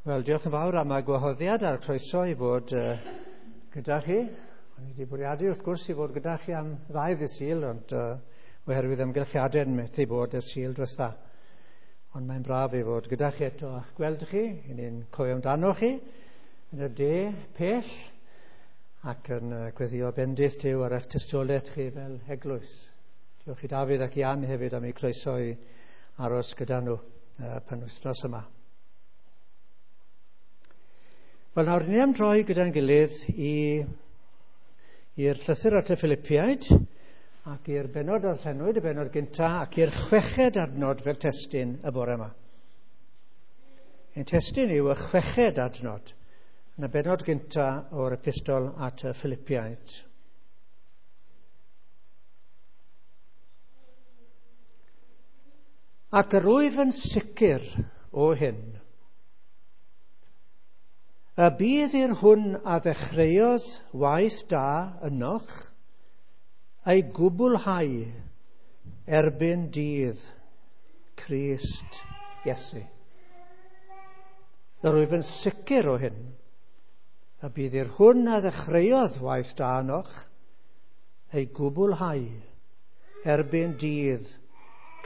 Wel, diolch yn fawr am y gwahoddiad a'r croeso i fod gyda chi. O'n i wedi bwriadu wrth gwrs i fod gyda chi am ddau ddydd Sul, ond oherwydd amgylchiadau yn methu bod y Sul diwetha. Ond mae'n braf i fod gyda chi eto a'ch gweld chi. I ni'n cofio amdano chi yn y de pell ac yn gweddio bendith Duw ar eich tystiolaeth chi fel eglwys. Diolch i Dafydd ac Ian hefyd am eu croeso i aros gyda nhw penwythnos yma. Wel, nawr ni am droi gyda'n gilydd i'r llythyr at y Philippiaid ac i'r bennod darllenwyd, y bennod gynta, ac i'r chweched adnod fel testun y bore yma. Ein testun yw y chweched adnod yn y bennod gynta o'r epistol at y Philippiaid. Ac yr wyf yn sicr o hyn, y bydd i'r hwn a ddechreuodd waith da ynoch ei gwblhau erbyn dydd Crist Iesu. Yr wyf yn sicr o hyn, y bydd i'r hwn a ddechreuodd waith da ynoch ei gwblhau erbyn dydd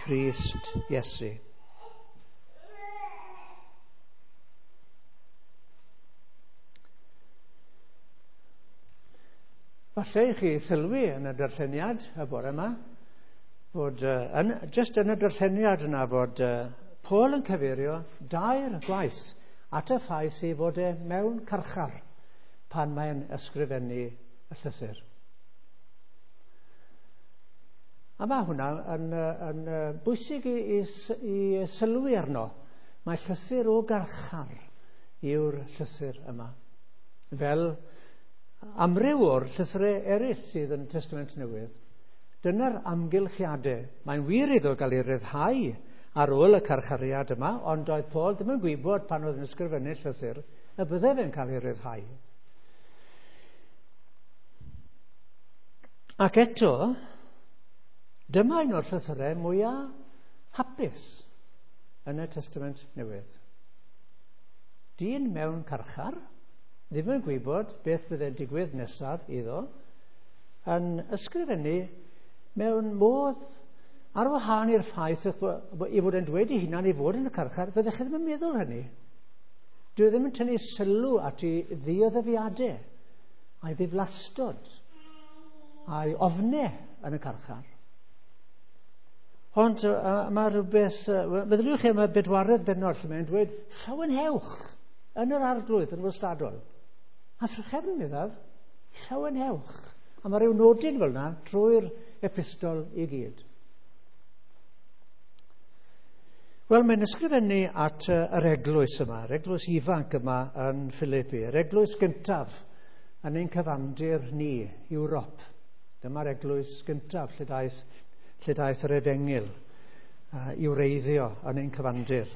Crist Iesu. Falle i chi sylwi yn y darlleniad y bore yma, fod just yn y darlleniad yna fod Paul yn cyfeirio dair gwaith at y ffaith ei fod e mewn carchar pan mae'n ysgrifennu y llythyr. A mae hwnna yn bwysig i sylwi arno. Mae llythyr o garchar yw'r llythyr yma. Fel amryw o'r llythyrau eraill sydd yn y Testament Newydd, dyna'r amgylchiadau. Mae'n wir iddo gael ei ryddhau ar ôl y carchariad yma, ond oedd Paul ddim yn gwybod pan oedd yn ysgrifennu llythyr y bydde fe'n cael ei ryddhau. Ac eto, dyma un o'r llythyrau mwyaf hapus yn y Testament Newydd. Dyn mewn carchar, ddim yn gwybod beth byddai'n digwydd nesaf iddo, yn ysgrifennu mewn modd ar wahân i'r ffaith ei fod yn dweud ei hunan ei fod yn y carchar, fyddech chi ddim yn meddwl hynny. Dwi ddim yn tynnu sylw at ei ddioddefiadau, a'i ddiflastod, a'i ofnau yn y carchar. Ond mae rhywbeth, meddyliwch chi am y bedwaredd bennod lle mae'n dweud, llawenhewch yn yr arglwydd yn wastadol. A thrachefn, meddaf, llawenhewch. A mae rhyw nodyn fel yna drwy'r epistol i gyd. Wel, mae'n ysgrifennu at yr eglwys yma, yr eglwys ifanc yma yn Philippi, yr eglwys gyntaf yn ein cyfandir ni, Ewrop. Dyma'r eglwys gyntaf lle daeth yr efengyl i wreiddio yn ein cyfandir.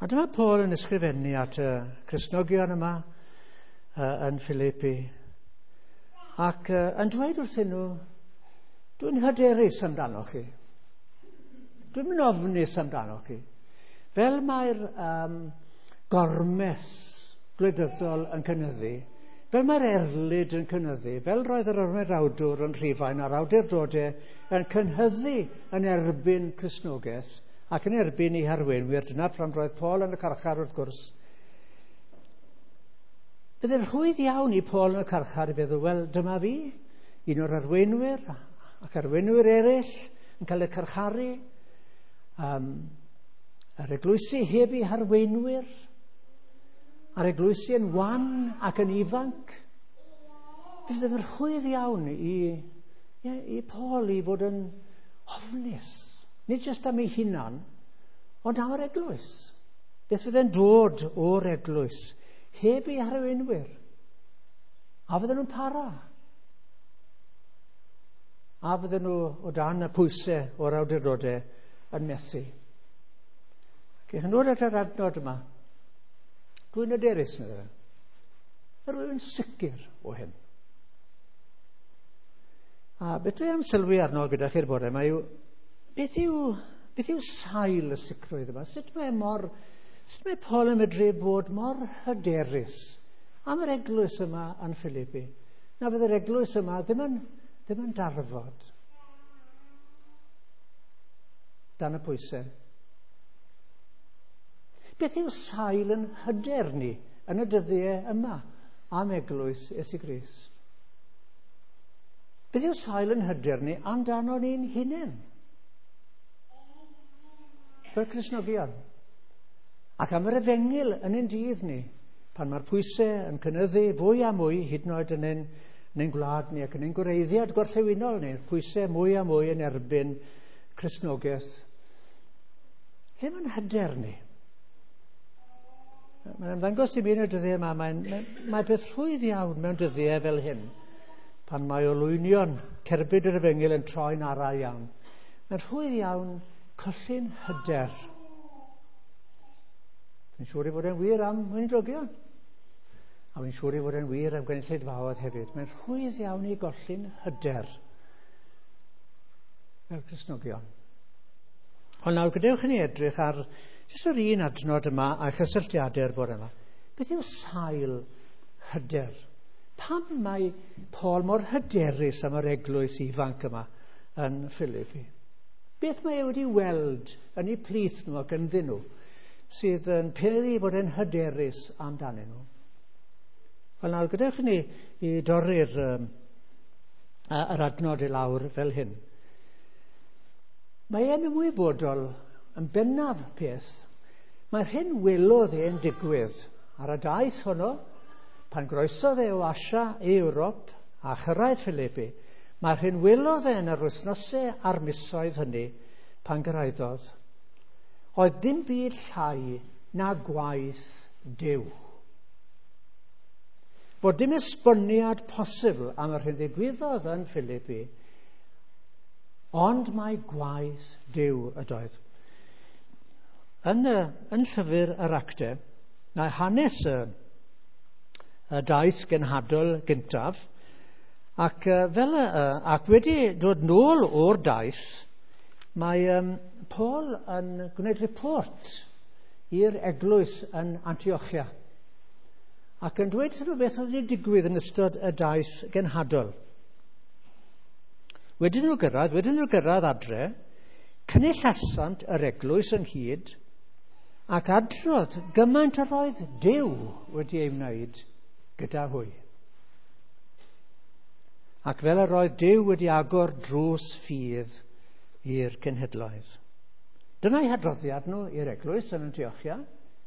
A dyma Paul yn ysgrifennu at y Cristnogion yma yn Philippi ac yn dweud wrthyn nhw, dwi'n hyderus amdano chi. Dwi'n mynd ofnus amdano chi. Fel mae'r gormes gwleidyddol yn cynyddu, fel mae'r erlid yn cynyddu, fel roedd yr ymerawdwr yn Rhufain a'r awdurdodau yn cynhyddu yn erbyn Cristnogaeth ac yn erbyn ei harweinwyr, dyna pam roedd Paul yn y carchar wrth gwrs. Byddai'n rhwydd iawn i Paul yn y carchar i feddwl, wel, dyma fi, un o'r arweinwyr ac arweinwyr eraill yn cael eu carcharu, yr eglwysi heb eu harweinwyr, a'r eglwysi yn wan ac yn ifanc. Byddai'n rhwydd iawn i Paul i fod yn ofnus. Nid jyst am ei hunan, ond am yr eglwys. Beth fydde'n dod o'r eglwys heb ei harweinwyr? A fydden nhw'n para? A fydden nhw o dan y pwysau o'r awdurdodau yn methu? Ac yn dod at yr adnod yma, dwi'n hyderus, meddai fe. Yr wyf yn sicr o hyn. A beth dwi am sylwi arno gyda chi'r bore yma yw, beth yw sail y sicrwydd yma? Sut mae mor Sut mae Paul yn medru bod mor hyderus am yr eglwys yma yn Philippi? Na fydd yr eglwys yma ddim yn darfod dan y pwysau. Beth yw sail yn hyder ni yn y dyddiau yma am eglwys Iesu Grist? Beth yw sail yn hyder ni amdano ni'n hunain? Fel Cristnogion. Ac am yr efengyl yn ein dydd ni, pan mae'r pwysau yn cynyddu fwy a mwy, hyd yn oed yn ein gwlad ni ac yn ein gwreiddiad gorllewinol ni, pwysau mwy a mwy yn erbyn Cristnogaeth. Lle mae'n hyder ni? Mae'n ymddangos i mi yn y dyddiau yma, mae beth rhwydd iawn mewn dyddiau fel hyn, pan mae olwynion cerbyd yr efengyl yn troi'n ara iawn. Mae'n rhwydd iawn colli'n hyder. Dwi'n siŵr ei fod e'n wir am weinidogion. A dwi'n siŵr ei fod e'n wir am gynulleidfaoedd hefyd. Mae'n rhwydd iawn i golli'n hyder fel Cristnogion. Ond nawr, gadewch i ni edrych ar jyst yr un adnod yma a chysylltiadau'r bore yma. Beth yw sail hyder? Pam mae Paul mor hyderus am yr eglwys ifanc yma yn Philippi? Beth mae e wedi weld yn eu plith nhw ac ynddyn nhw sydd yn peri bod e'n hyderus amdanyn nhw? Wel nawr, gadewch i ni i dorri'r yr adnod i lawr fel hyn. Mae e'n ymwybodol yn bennaf peth. Mae'r hyn welodd e'n digwydd ar y daith honno, pan groesodd e o Asia i Ewrop a chyrraedd Philippi, mae'r hyn welodd e yn yr wythnosau a'r misoedd hynny pan gyrhaeddodd, oedd dim byd llai na gwaith Duw. Bod dim esboniad posibl am yr hyn ddigwyddodd yn Philippi, ond mae gwaith Duw ydoedd. Yn llyfr yr Actau, mae hanes y daith genhadol gyntaf, ac, ac wedi dod nôl o'r daith, mae Paul yn gwneud report i'r eglwys yn Antiochia, ac yn dweud wrthyn nhw beth oedd wedi digwydd yn ystod y daith genhadol. Wedyn nhw gyrraedd adre, cynullasant yr eglwys ynghyd, ac adrodd gymaint yr oedd Duw wedi ei wneud gyda hwy. Ac fel yr oedd Duw wedi agor drws ffydd i'r cenhedloedd. Dyna'i hadroddiad nhw i'r eglwys yn Antiochia.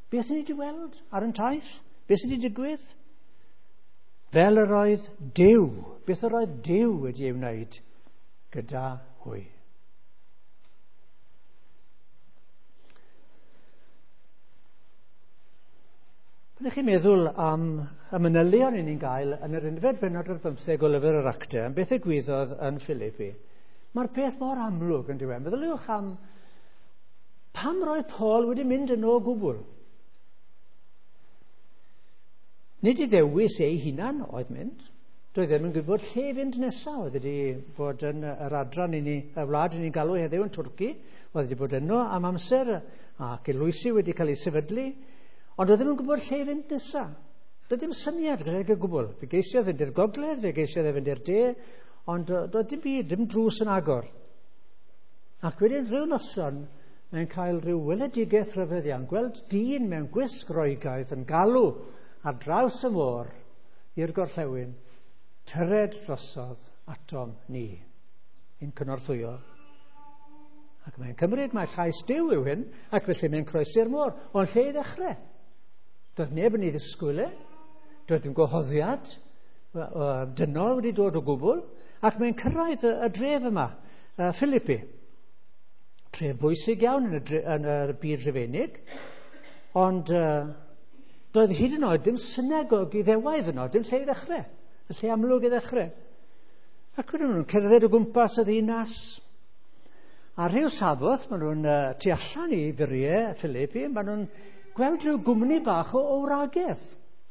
Beth sydd wedi weld ar yn taith? Beth sydd wedi digwydd? Fel yr oedd Duw, beth yr oedd Duw wedi ei wneud gyda hwy. Pan ych chi'n meddwl am y manylion i ni'n gael yn yr unfed bennod ar bymtheg o lyfr yr Actau, am beth ddigwyddodd yn Philippi, mae'r peth mor amlwg yn diwedd. Meddyliwch am pam roedd Paul wedi mynd yno o gwbl. Nid i ddewis ei hunan oedd mynd. Doedd ddim yn gwybod lle i fynd nesaf. Oedd wedi bod yn yr adran i ni, y wlad i ni'n galw heddiw yn Twrci. Oedd wedi bod yno am amser ac eglwysi wedi cael ei sefydlu. Ond oedd ddim yn gwybod lle i fynd nesaf. Doedd ddim syniad gydag o gwbl. Fe geisiodd fynd i'r gogledd, fe geisiodd fynd i'r de, ond doedd dim byd, dim drws yn agor. Ac wedyn rhyw noson, mae'n cael rhyw weledigaeth rhyfedd iawn, gweld dyn mewn gwisg Roegaidd yn galw ar draws y môr i'r gorllewin, tyred drosodd atom ni, i'n cynorthwyo. Ac mae'n cymryd, mae llais Duw yw hyn, ac felly mae'n croesi'r môr. Ond lle i ddechrau? Doedd neb yn ei ddisgwyl e, doedd dim gwahoddiad dynol wedi dod o gwbl, ac mae'n cyrraedd y dref yma, Philippi. Tref bwysig iawn yn y byd Rufeinig, ond doedd hyd yn oed dim synagog Iddewaidd yno, dim lle i ddechrau, y lle amlwg i ddechrau. Ac wedyn nhw'n cerdded o gwmpas y ddinas. A rhyw Saboth, maen nhw'n tu allan i furiau Philippi, maen nhw'n gweld rhyw gwmni bach o wragedd,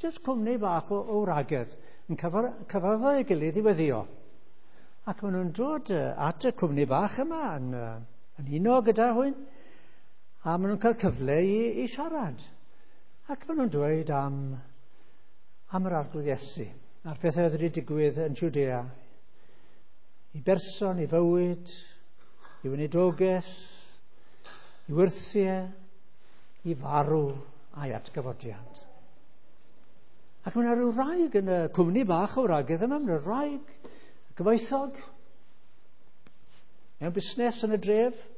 jyst cwmni bach o wragedd, yn cyfarfod ei gilydd i weddio. Ac maen nhw'n dod at y cwmni bach yma yn uno gyda hwy, a maen nhw'n cael cyfle i siarad. Ac maen nhw'n dweud am yr Arglwydd Iesu, a'r pethau oedd wedi digwydd yn Judea, i berson, i fywyd, i weinidogaeth, i wyrthiau, i farw a'i atgyfodiad. Ac mae yna rhyw wraig yn y cwmni bach o wragedd yma, mae yna wraig gyfoethog, mewn busnes yn y dref,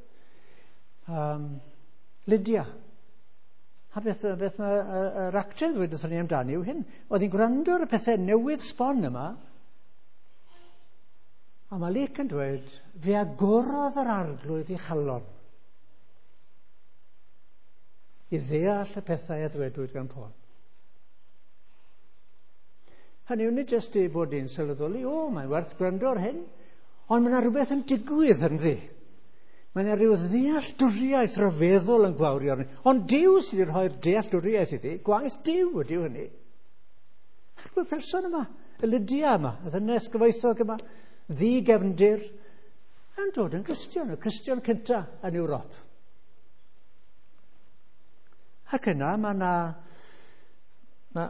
Lydia. A beth mae yr actor ddweud wrthon ni amdani yw hyn. Oedd hi'n gwrando ar y pethau newydd sbon yma, a mae Luc yn dweud, fe agorodd yr Arglwydd ei chalon i ddeall y pethau a ddwedwyd gan Paul. Hynny yw, nid jyst ei bod hi'n sylweddoli, o, mae'n werth gwrando ar hyn, ond mae yna rhywbeth yn digwydd ynddi. Mae yna rhyw ddealltwriaeth rhyfeddol yn gwawrio arni. Ond Duw sydd wedi rhoi'r dealltwriaeth iddi, gwaith Duw ydyw hynny. Ac mae'r person yma, y Lydia yma, y ddynes gyfoethog yma, ddi-gefndir, yn dod yn Gristion, y Cristion cyntaf yn Ewrop. Ac yna mae yna,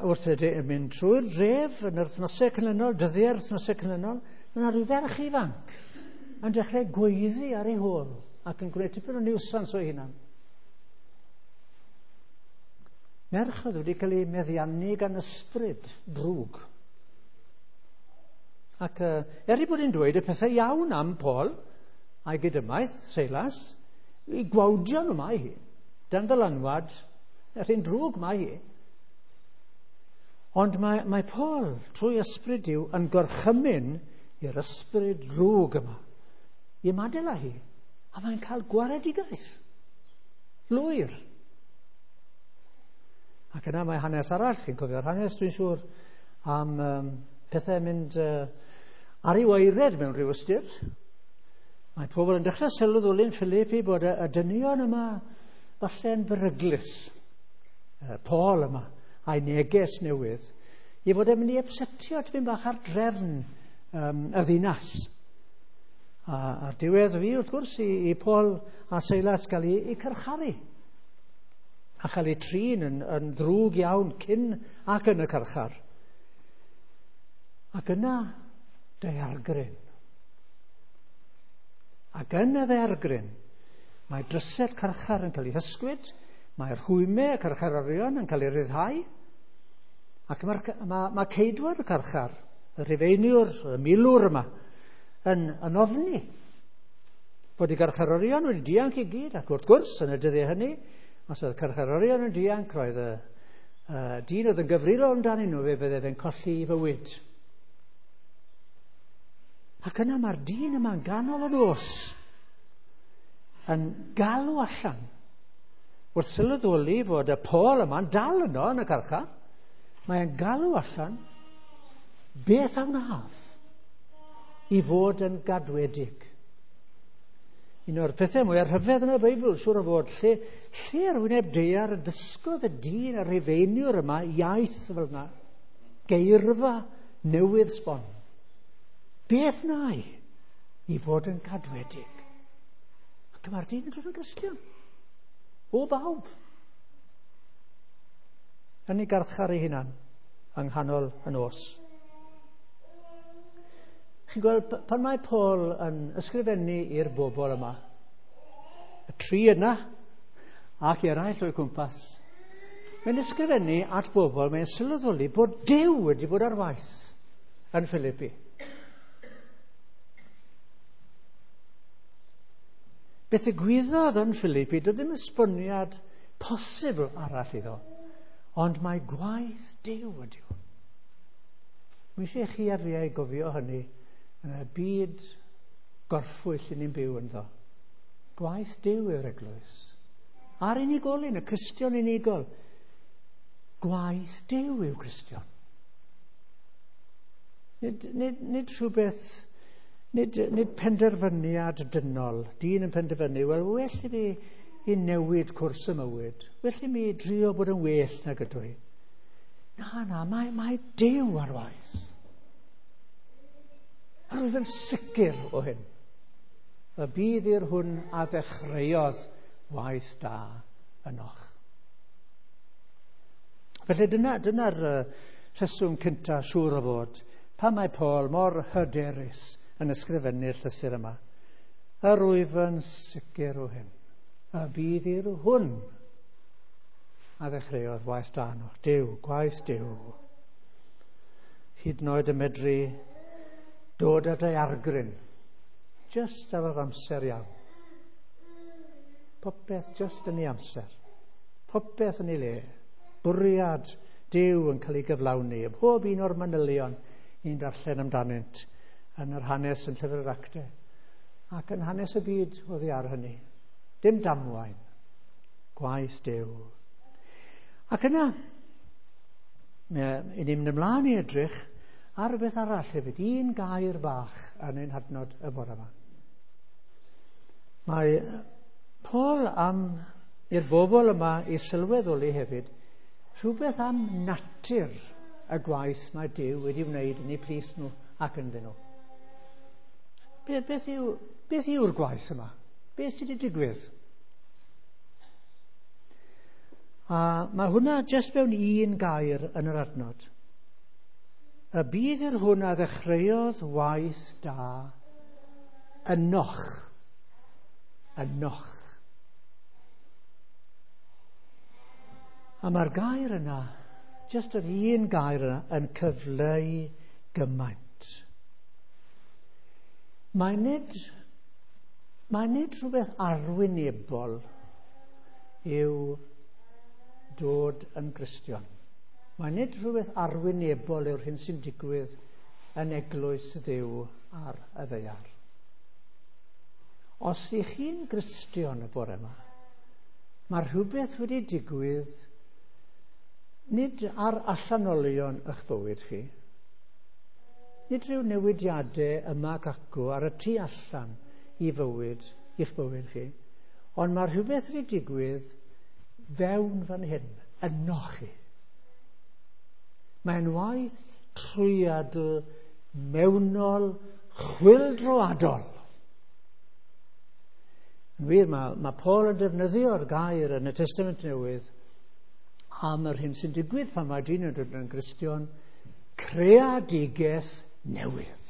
wrth mynd trwy'r dref yn yr wythnosau canlynol, dyddiau'r wythnosau canlynol, mae yna rhyw ferch ifanc yn dechrau gweiddi ar ei hôl ac yn gwneud tipyn o niwsans o'i hunan. Merch oedd wedi cael ei meddiannu gan ysbryd drwg. Ac er ei bod hi'n dweud y pethau iawn am Paul a'i gydymaith, Seilas, i gwawdio nhw mae hi, dan ddylanwad, yr un drwg mae hi. Ond mae Paul, trwy ysbryd Duw, yn gorchymyn i'r ysbryd drwg yma i ymadael â hi, a mae'n cael gwaredigaeth lwyr. Ac yna mae hanes arall, chi'n cofio'r hanes, dwi'n siŵr, am pethau mynd ar ei waered mewn rhyw ystyr. Mae pobl yn dechrau sylweddoli'n Philippi bod y dynion yma falle'n beryglus. Paul yma, a'i neges newydd, i fod e'n mynd i upsetio tipyn bach ar drefn y ddinas. A'r diwedd fi, wrth gwrs, i Paul a Seilas gael ei carcharu. A chael ei trin yn ddrwg iawn cyn ac yn y carchar. Ac yna, daeargryn. Ac yn y ddaeargryn, mae drysau'r carchar yn cael ei hysgwyd, mae'r rhwymau y carcharorion yn cael ei ryddhau, ac mae ceidwad y carchar, y rhufeiniwr, y milwr yma, yn ofni bod y carcharorion wedi dianc i gyd, ac wrth gwrs, yn y dyddiau hynny, os oedd carcharorion yn dianc, roedd y dyn oedd yn gyfrifol amdanyn nhw, fe fydde fe'n colli ei fywyd. Ac yna mae'r dyn yma'n ganol y nos yn galw allan wrth sylweddoli fod y Paul yma'n dal yno yn y carchar. Mae'n galw allan, beth a wnaf i fod yn gadwedig? Un o'r pethau mwyaf rhyfedd yn y Beibl, siŵr o fod, lle ar wyneb daear y dysgodd y dyn a'r rhufeiniwr yma iaith fel yna, geirfa newydd sbon. Beth wna i fod yn cadwedig? Ac mae'r dyn yn dod yn Gristion. O bawb. Yn ei garchar ei hunan yng nghanol y nos. Chi'n gweld, pan mae Paul yn ysgrifennu i'r bobl yma, y tri yna ac eraill o'i cwmpas, mae'n ysgrifennu at bobl, mae'n sylweddoli bod Duw wedi bod ar waith yn Philippi. Beth ddigwyddodd yn Philippi, doedd ddim esboniad posibl arall iddo, ond mae gwaith Duw ydyw. Mae eisiau chi a fi ei gofio hynny yn y byd gorffwyll i ni'n byw ynddo. Gwaith Duw yw'r eglwys. A'r unigolyn, y Cristion unigol. Gwaith Duw yw Cristion. Nid rhywbeth, nid penderfyniad dynol. Dyn yn penderfynu, wel, well i fi i newid cwrs y mywyd. Well i mi drio bod yn well nag ydw i. Na, mae Duw ar waith. A rwyf yn sicr o hyn. Y bydd i'r hwn a ddechreuodd waith da ynoch. Felly dyna'r rheswm cynta siŵr o fod pan mae Paul mor hyderus yn ysgrifennu'r llythyr yma. Yr wyf yn sicr o hyn, y bydd i'r hwn a ddechreuodd waith da ynoch. Duw, gwaith Duw. Hyd yn oed yn medru dod â daeargryn, just ar yr amser iawn. Popeth just yn ei amser. Popeth yn ei le. Bwriad Duw yn cael ei gyflawni. Pob un o'r manylion ni'n darllen amdanynt yn yr hanes yn Llyfr yr Actau ac yn hanes y byd oddi ar hynny. Dim damwain. Gwaith Duw. Ac yna, ni'n mynd ymlaen i edrych ar rhywbeth arall hefyd. Un gair bach yn ein hadnod y bore yma. Mae Paul am i'r bobl yma i sylweddoli hefyd rhywbeth am natur y gwaith mae Duw wedi wneud yn eu plith nhw ac ynddyn nhw. Beth yw'r gwaith yma? Beth sydd wedi digwydd? A mae hwnna jyst mewn un gair yn yr adnod. Y bydd i'r hwn a ddechreuodd waith da ynoch. Ynoch. A mae'r gair yna, jyst yr un gair yna, yn cyfleu gymaint. Mae nid rhywbeth arwynebol yw dod yn Gristion. Mae nid rhywbeth arwynebol yw'r hyn sy'n digwydd yn eglwys Dduw ar y ddaear. Os ych chi'n Gristion y bore yma, mae rhywbeth wedi digwydd nid ar allanolion eich bywyd chi, nid rhyw newidiadau yma ac acw ar y tu allan i fywyd, i'ch bywyd chi, ond mae rhywbeth wedi digwydd fewn fan hyn, ynoch chi. Mae'n waith trwyadl mewnol chwyldroadol. Yn wir, mae Paul yn defnyddio'r gair yn y Testament Newydd am yr hyn sy'n digwydd pan mae dyn yn dod yn Gristion, creadigaeth newydd.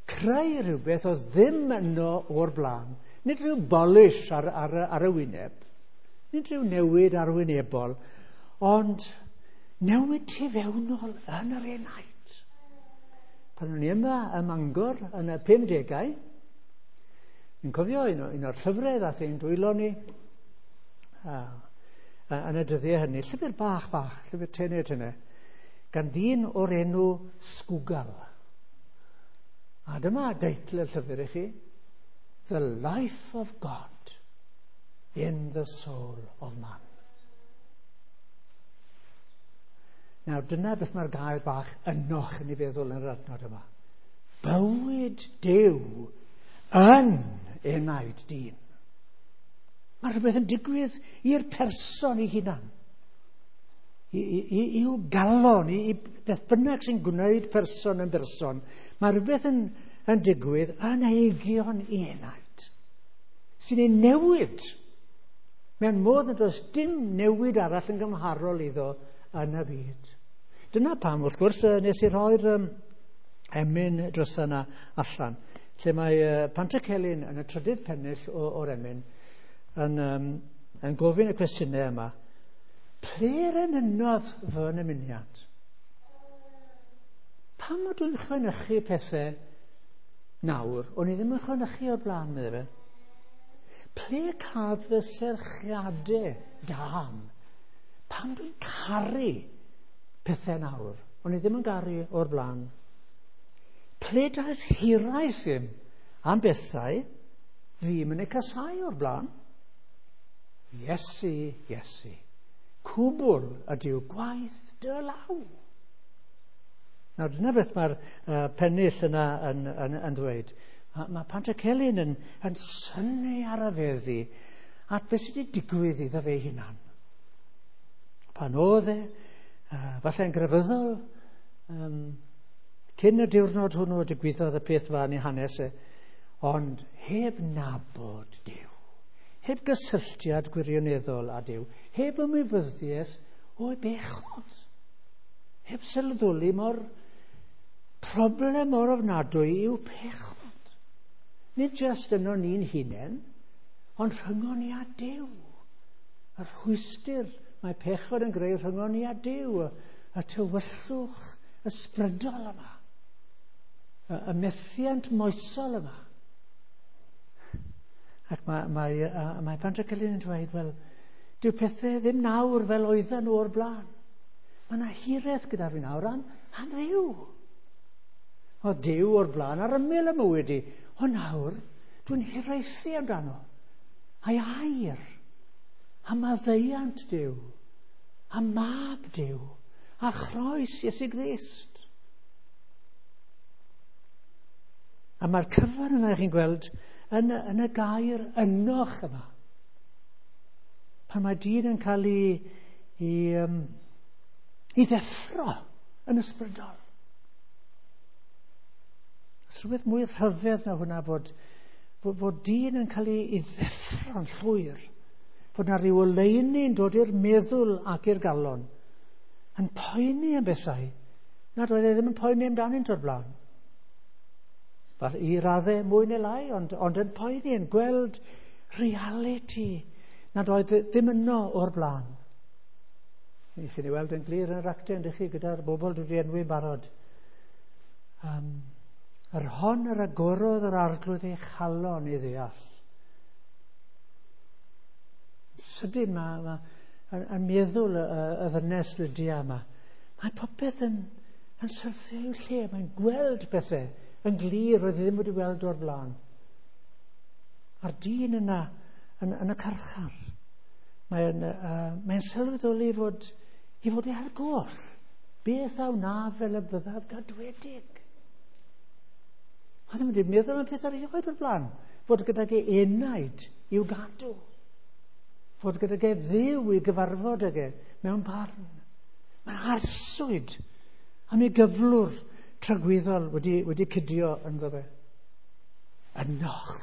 Creu rhywbeth oedd ddim yno o'r blaen, nid rhyw bolish ar y wyneb, nid rhyw newid arwynebol, ond newid tu fewnol yn yr enaid. Pan o'n i yma ym Mangor yn y 50au, fi'n cofio un o'r llyfrau ddath ein dwylo ni yn y dyddiau hynny, llyfr bach, llyfr tenau, gan ddyn o'r enw Sgwgal. A dyma deitl y llyfr i chi, The Life of God in the Soul of Man. Nawr, dyna beth mae'r gair bach ynoch yn ei feddwl yn yr adnod yma. Bywyd Duw yn enaid dyn. Mae rhywbeth yn digwydd i'r person ei hunan. I'w galon, i beth bynnag sy'n gwneud person yn berson. Mae rhywbeth yn digwydd yn eigion i enaid, sy'n ei newid mewn modd nad oes dim newid arall yn gymharol iddo yn y byd. Dyna pam, wrth gwrs, nes i rhoi'r emyn dros yna allan, lle mae Pantycelyn yn y trydydd pennill o'r emyn yn gofyn y cwestiynau yma. Ple'r enynnodd fy nymuniad? Pam ydw i'n chwenychu pethau nawr, o'n i ddim yn chwenychu o'r blaen, meddai fe. Ple caf fy serchiadau dan? Pam dwi'n caru pethau nawr, o'n i ddim yn garu o'r blaen? Ple daeth hiraeth im am bethau ddim yn eu casau o'r blaen? Iesu, Iesu, cwbl ydyw gwaith dy law. Nawr, dyna beth mae'r pennill yna yn dweud. Mae Pantycelyn yn synnu ar y feddi at beth sydd wedi digwydd iddo fe hunan. Pan oedd e, falle'n grefyddol, cyn y diwrnod hwnnw digwyddodd y peth fa yn ei hanes e, ond heb nabod Duw, heb gysylltiad gwirioneddol â Duw, heb ymwybyddiaeth o'i bechod. Heb sylweddoli mor problem mor ofnadwy yw pechod. Nid jyst yno ni'n hunain, ond rhyngon ni a Duw. Y rhwystr mae pechod yn greu rhyngon ni a Duw, y tywyllwch ysbrydol yma, y methiant moesol yma. Ac mae Pantycelyn yn dweud, wel, dyw pethau ddim nawr fel oedden nhw o'r blaen. Mae yna hiraeth gyda fi nawr am Dduw. Oedd Duw o'r blaen ar ymyl y mywyd i. Ond nawr, dwi'n hiraethu amdano. A'i air, a maddeuant Duw, a mab Duw, a chroes Iesu Grist. A mae'r cyfan yna chi'n gweld yn y gair ynoch yma. Pan mae dyn yn cael ei ddeffro yn ysbrydol. Oes rhywbeth mwy rhyfedd na hwnna fod dyn yn cael ei ddeffro'n llwyr. Fod na ryw oleuni'n dod i'r meddwl ac i'r galon. Yn poeni am bethau nad oedd e ddim yn poeni amdanynt o'r blaen. Fel i raddau mwy neu lai, ond yn poeni, yn gweld reality nad oedd ddim yno o'r blaen. I chi'n ei weld yn glir yn yr actau, ydych chi, gyda'r bobl dwi wedi enwi'n barod. Yr hon yr agorodd yr Arglwydd ei chalon i ddeall. Sydyn mae yn meddwl y ddynes Lydia yma. Mae popeth yn syrthio i'w lle. Mae'n gweld pethau yn glir roedd ddim wedi weld o'r blaen. A'r dyn yna yn y carchar, mae'n sylweddoli i fod e ar goll. Beth a wna fel y byddaf gadwedig? Oedd ddim wedi meddwl am peth erioed o'r blaen. Fod gydag e enaid i'w gadw. Fod gydag e Dduw i gyfarfod ag e mewn barn. Mae'n arswyd am ei gyflwr tragwyddol wedi cydio ynddo fe. Ynoch.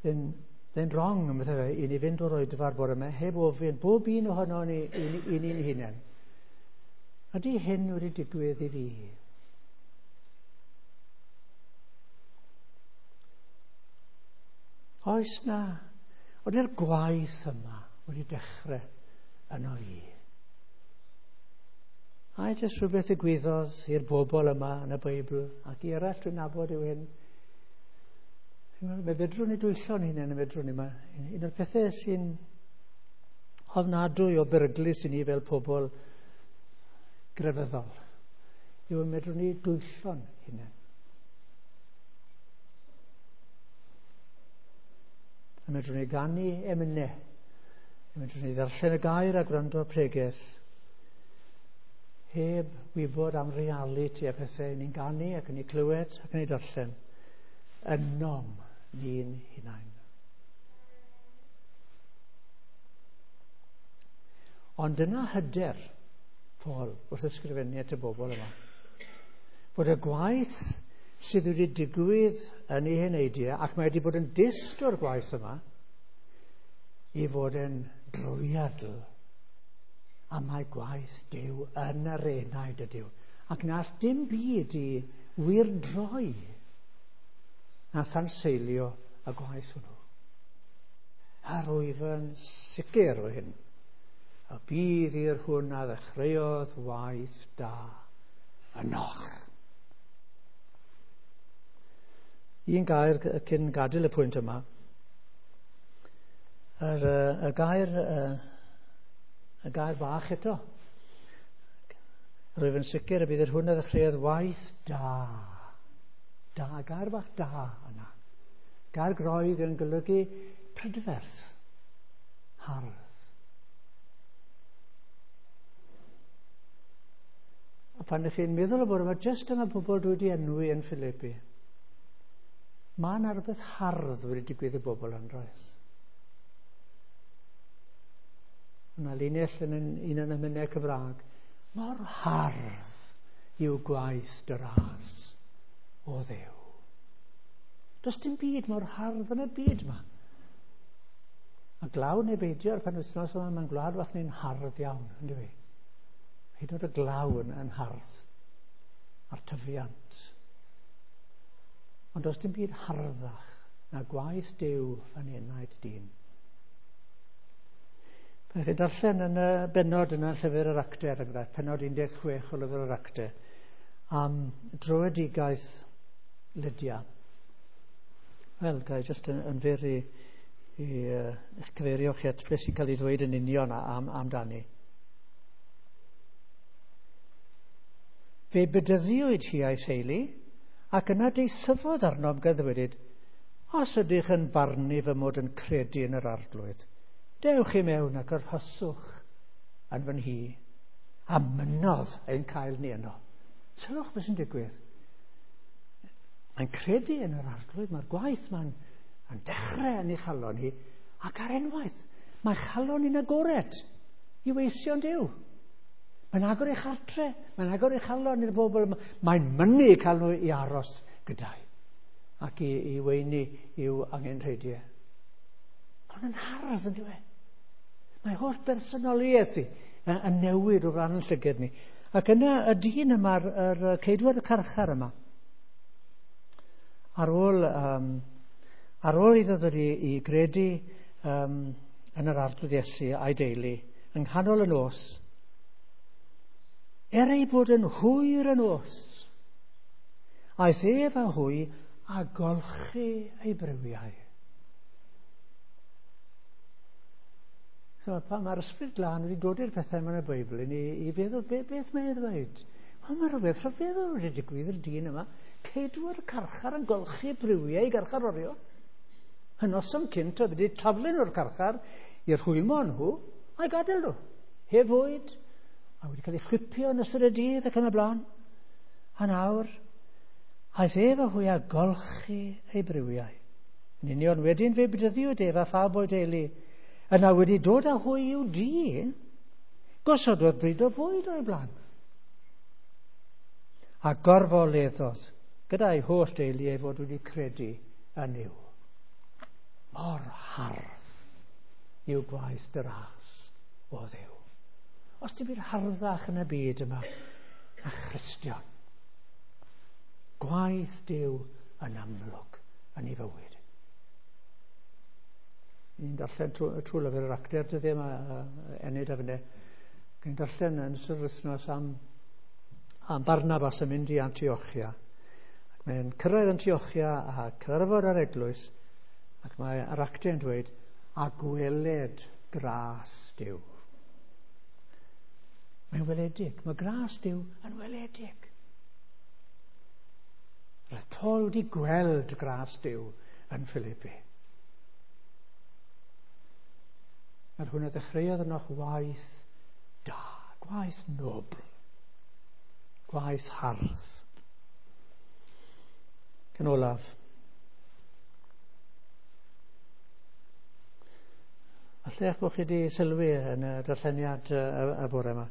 Then wrong am bethau i ni fynd o'r oedfa'r bore yma heb ofyn bob un ohono ni i ni'n hunain. Ydy hyn wedi digwydd i fi? Oes na, oeddi'r gwaith yma wedi dechrau yno fi? A jyst rhywbeth ddigwyddodd i'r bobl yma yn y Beibl ac i eraill dwi'n nabod yw hyn. Mae fedrwn ni dwyllo'n hunain, fedrwn ni. Un o'r pethau sy'n ofnadwy o beryglus i ni fel pobl grefyddol yw medrwn ni dwyllo'n hunain. A medrwn ni ganu emynau, a medrwn ni ddarllen y gair a gwrando pregeth heb wybod am realiti a pethau ni'n ganu ac yn ei clywed ac yn ei darllen ynom ni'n hunain. Ond dyna hyder Paul wrth ysgrifennu at y bobl yma. Bod y gwaith sydd wedi digwydd yn ei heneidiau, ac mae wedi bod yn dyst o'r gwaith yma, i fod yn drwyadl. A mae gwaith Duw yn yr enaid ydyw. Ac na all dim byd i wyrdroi na thanseilio y gwaith hwnnw. A rwyf yn sicr o hyn. Y bydd i'r hwn a ddechreuodd waith da ynoch. Un gair cyn gadael y pwynt yma. Y gair bach eto. Rwyf yn sicr y bydd yr hwn a ddechreuodd waith da. Da, gair bach da yna. Gair Groeg yn golygu prydferth, hardd. A pan ych chi'n meddwl o bod yma, jyst yma pobl dwi wedi enwi yn Philippi, mae yna rhywbeth hardd wedi digwydd i bobl yn roes. Yna linell yn un o'n emynau Cymraeg, mor hardd yw gwaith dy ras o Dduw. Does dim byd mor hardd yn y byd yma. A glaw neu beidio ar penwythnos yma, mae'n gwlad fach ni'n hardd iawn, yn dyw? Hyd yn oed y glaw yn hardd, a'r tyfiant. Ond does dim byd harddach na gwaith Duw yn enaid dyn. Pan chi'n darllen yn y bennod yna llyfr yr Actau, er enghraifft, pennod 16 o lyfr yr Actau, am dröedigaeth Lydia. Wel, ga i jyst yn fyr i eich cyfeirio chi at beth sy'n cael ei ddweud yn union amdani. Fe bedyddiwyd hi a'i theulu, ac yna deisyfodd arnom gan ddweud, os ydych yn barnu fy mod yn credu yn yr Arglwydd, dewch i mewn ac arhoswch yn fy nhŷ, a mynnodd ein cael ni yno. Sylwch beth sy'n digwydd. Mae'n credu yn yr Arglwydd, mae'r gwaith mae'n dechrau yn ei chalon hi, ac ar unwaith, mae chalon hi'n agored i weision Duw. Mae'n agor ei chartre, mae'n agor ei chalon i'r bobl yma. Mae'n mynnu cael nhw i aros gyda'i ac i weini i'w angenrheidiau. Mae hwn yn hardd, yn dyw e? Mae holl bersonoliaeth i yn newid o flaen yn llygad ni. Ac yna y dyn yma, yr ceidwad y carchar yma, ar ôl iddo ddod i gredu yn yr Arglwydd Iesu a'i deulu, yng nghanol y nos, er ei bod yn hwyr y nos, aeth ef a hwy a golchi ei briwiau. So, pan mae'r Ysbryd Glân wedi dod i'r pethau yma yn y Beibl i ni i feddwl, beth mae'n ei ddweud? Wel, mae rhywbeth rhyfeddol wedi digwydd i'r dyn yma. Ceidw'r carchar yn golchi briwiau i garcharorion. Y noson cynt oedd wedi taflu nhw'r carchar i'r rhwymo nhw a'i gadael nhw. Heb fwyd, a wedi cael ei chwipio yn ystod y dydd ac yn y blaen. A nawr, aeth ef a hwy a golchi ei briwiau. Yn union wedyn fe bedyddiwyd ef a phawb o'i deulu. Yna wedi dod â hwy i'w dŷ, gosododd bryd o fwyd o'i blaen. A gorfoleddodd gyda'i holl deulu ei fod wedi credu yn Nuw. Mor hardd yw gwaith dy ras, o Dduw. Os ti'n byd harddach yn y byd yma na Christion, gwaith Duw yn amlwg yn ei fywyd. Ni'n darllen trwy lyfr yr Actau dyddiau yma, Enid a fyne. Ni'n darllen yn ystod yr wythnos am Barnabas yn mynd i Antiochia. Ac mae'n cyrraedd Antiochia a cyfarfod ar eglwys, ac mae yr Actau yn dweud, a gweled gras Duw. Mae'n weledig. Mae gras Duw yn weledig. Roedd Paul wedi gweld gras Duw yn Philippi. Yr hwn a ddechreuodd ynoch waith da, gwaith nobl, gwaith hardd. Yn olaf, falle eich bod chi wedi sylwi yn y darlleniad y bore yma.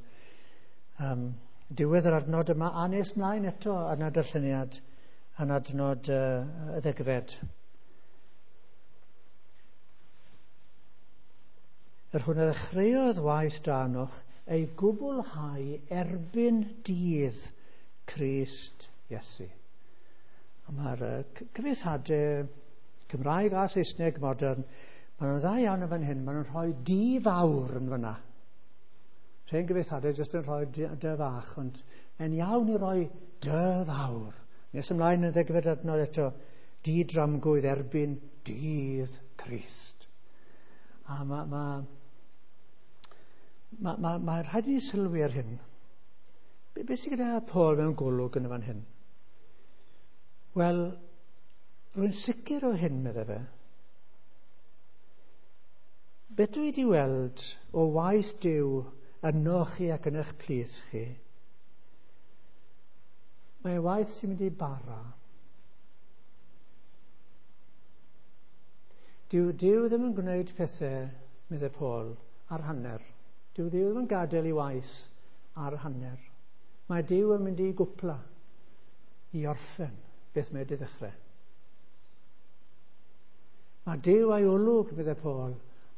Diwedd yr adnod yma, a nes mlaen eto yn y darlleniad yn adnod y ddegfed. Yr hwn a ddechreuodd waith da ynoch ei gwblhau erbyn dydd Crist Iesu. A mae'r cyfieithiadau Cymraeg a Saesneg modern, maen nhw'n dda iawn yn fan hyn, maen nhw'n rhoi di fawr yn fyna. Rhain gyfieithiadau jyst yn rhoi dy fach, ond mae'n iawn i roi dy fawr. Nes ymlaen yn ddegfed adnod eto, di dramgwydd erbyn dydd Crist. A mae rhaid i ni sylwi ar hyn. Beth sydd gyda Paul mewn golwg yn y fan hyn? Wel, rwy'n sicr o hyn, meddai fe. Beth dwi wedi weld o waith Duw ynoch chi ac yn eich plith chi, mae waith sy'n mynd i bara. Dyw Duw ddim yn gwneud pethau, meddai Paul, ar hanner. Dyw Duw ddim yn gadael i waith ar hanner. Mae Duw yn mynd i gwpla, i orffen beth mae wedi ddechrau. Mae Duw a'i olwg, meddai Paul,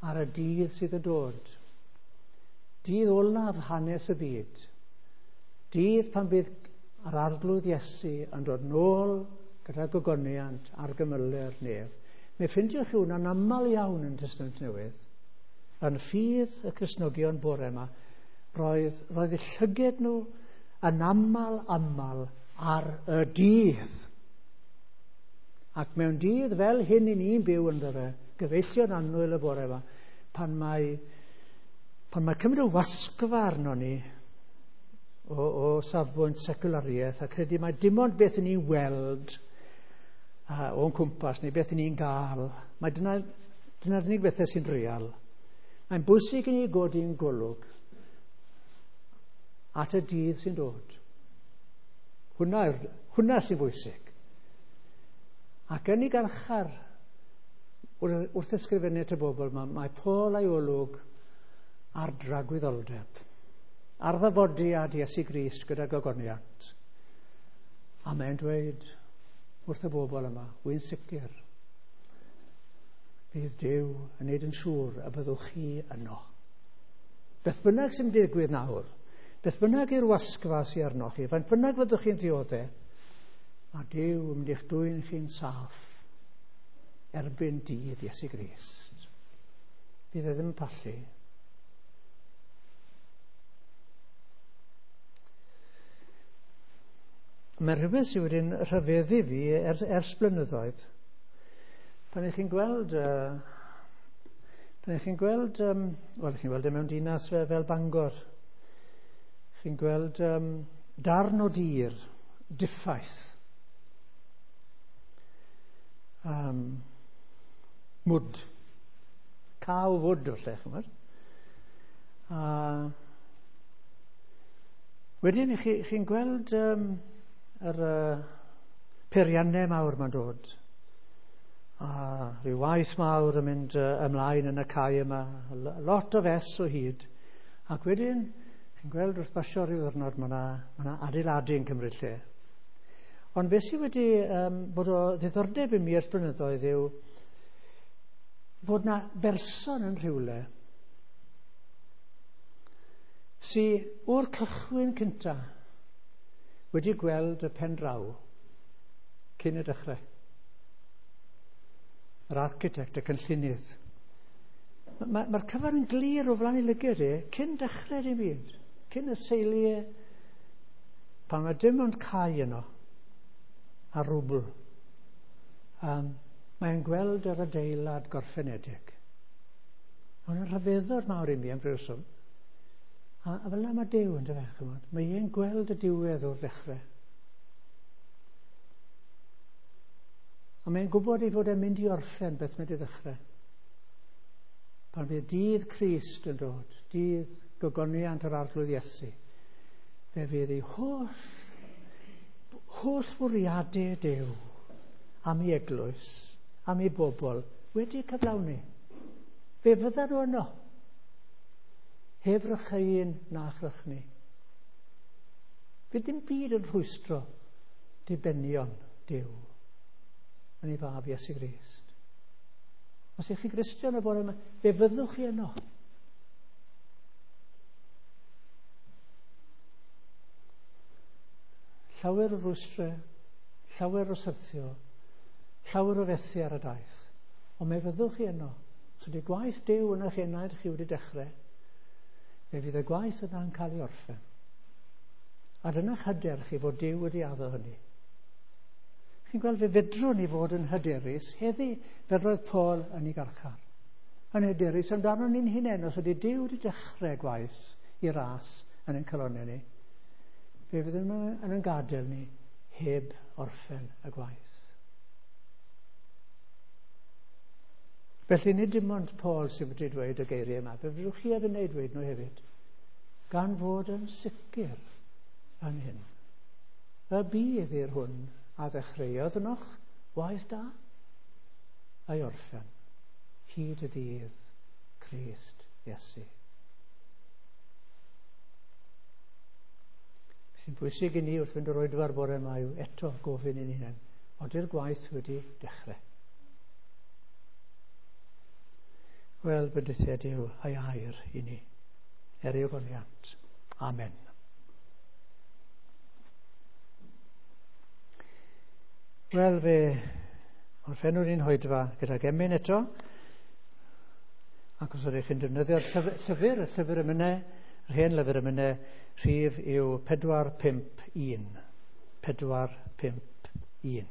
ar y dydd sydd yn dod. Dydd olaf hanes y byd. Dydd pan bydd yr Arglwydd Iesu yn dod nôl gyda gogoniant ar gymylu'r nef. Mi ffindiwch chi hwnna'n aml iawn yn Testament Newydd. Yn ffydd y Cristnogion bore yma, roedd eu llyged nhw yn aml, aml ar y dydd. Ac mewn dydd fel hyn i ni'n byw ynddo fe, gyfeillion annwyl y bore yma, pan mae cymryd o wasgfa arno ni o safbwynt seculariaeth a credu mai dim ond beth ni'n weld o'n cwmpas neu beth ni'n gael, mae dyna'r unig bethau sy'n real. Mae'n bwysig i ni godi'n golwg at y dydd sy'n dod. Hwnna sy'n bwysig. Ac yn ei garchar, wrth ysgrifennu at y bobl, mae Paul a'i olwg ar dragwyddoldeb, ar ddyfodiad Iesu Grist gyda gogoniant. A mae'n dweud wrth y bobl yma, wy'n sicr, bydd Duw yn neud yn siŵr y byddwch chi yno. Beth bynnag sy'n digwydd nawr, beth bynnag yw'r wasgfa sy'n arnoch chi, faint bynnag fyddwch chi'n dioddef, mae Duw yn mynd i'ch dwyn chi'n saff erbyn dydd Iesu Grist. Bydd e ddim yn pallu. Mae rhywbeth sydd wedi'n rhyfeddu fi ers blynyddoedd. Pan ych chi'n gweld, wel, chi'n gweld e mewn dinas fel Bangor, chi'n gweld darn o dir diffaith, mwd, caw fwd falle, chymod. A wedyn chi'n gweld yr peiriannau mawr ma'n dod, a rhyw waith mawr yn mynd ymlaen yn y cae yma, lot o fes o hyd. Ac wedyn, chi'n gweld wrth basio rhyw ddwrnod, mae yna adeiladu yn cymryd lle. Ond beth sydd wedi bod o ddiddordeb i mi ers blynyddoedd yw bod na berson yn rhywle sydd o'r cychwyn cyntaf wedi gweld y pen draw cyn y dechrau. Yr architect, y cynllunydd. Mae'r cyfan yn glir o flaen ei lygad e cyn dechrau dim byd, cyn y seiliau, pan mae dim ond cae yno a rwbl. Mae'n gweld yr adeilad gorffenedig. Mae'n rhyfeddod mawr i mi am ryw reswm. A fel yna mae Duw yn dyfe, chymod. Mae e'n gweld y diwedd o'r dechrau. A mae'n gwybod ei fod e'n mynd i orffen beth mae wedi ddechrau. Pan fydd dydd Crist yn dod, dydd gogoniant yr Arglwydd Iesu, fe fydd ei holl fwriadau Duw am ei eglwys, am ei bobl, wedi cyflawni. Fe fyddan nhw yno, heb rycheuyn na chrychni. Fydd dim byd yn rhwystro dibenion Duw yn ei fab Iesu Grist. Os ych chi Gristion y bore yma, fe fyddwch chi yno. Llawer o rwystrau, llawer o syrthio, llawer o fethu ar y daith. Ond fe fyddwch chi yno. Os ydy gwaith Duw yn eich enaid chi wedi dechrau, fe fydd y gwaith yna'n cael ei orffen. A dyna'ch hyder chi fod Duw wedi addo hynny. Chi'n gweld, fe fedrwn ni fod yn hyderus heddi fel roedd Paul yn ei garchar. Yn hyderus amdano ni'n hunain, os ydy Duw wedi dechrau gwaith i ras yn ein calonnau ni, fe fydd yn ein gadael ni heb orffen y gwaith. Felly nid dim ond Paul sydd wedi dweud y geiriau yma, fe fedrwch chi a fi wneud dweud nhw hefyd, gan fod yn sicr yn hyn. Y bydd i'r hwn a ddechreuodd ynoch waith da a'i orffen hyd y ddydd Crist Iesu. Sy'n bwysig i ni wrth fynd o'r oedfa'r bore yma yw eto gofyn i'n hunain, ody'r gwaith wedi dechrau? Wel, bendithiad yw ei air i ni, er ei ogoniant. Amen. Wel, fe orffennwn ni'n hoedfa gydag emyn eto. Ac os ydych chi'n defnyddio'r llyfr, y llyfr emynau, yr hen lyfr emynau, rhif yw 451. 451.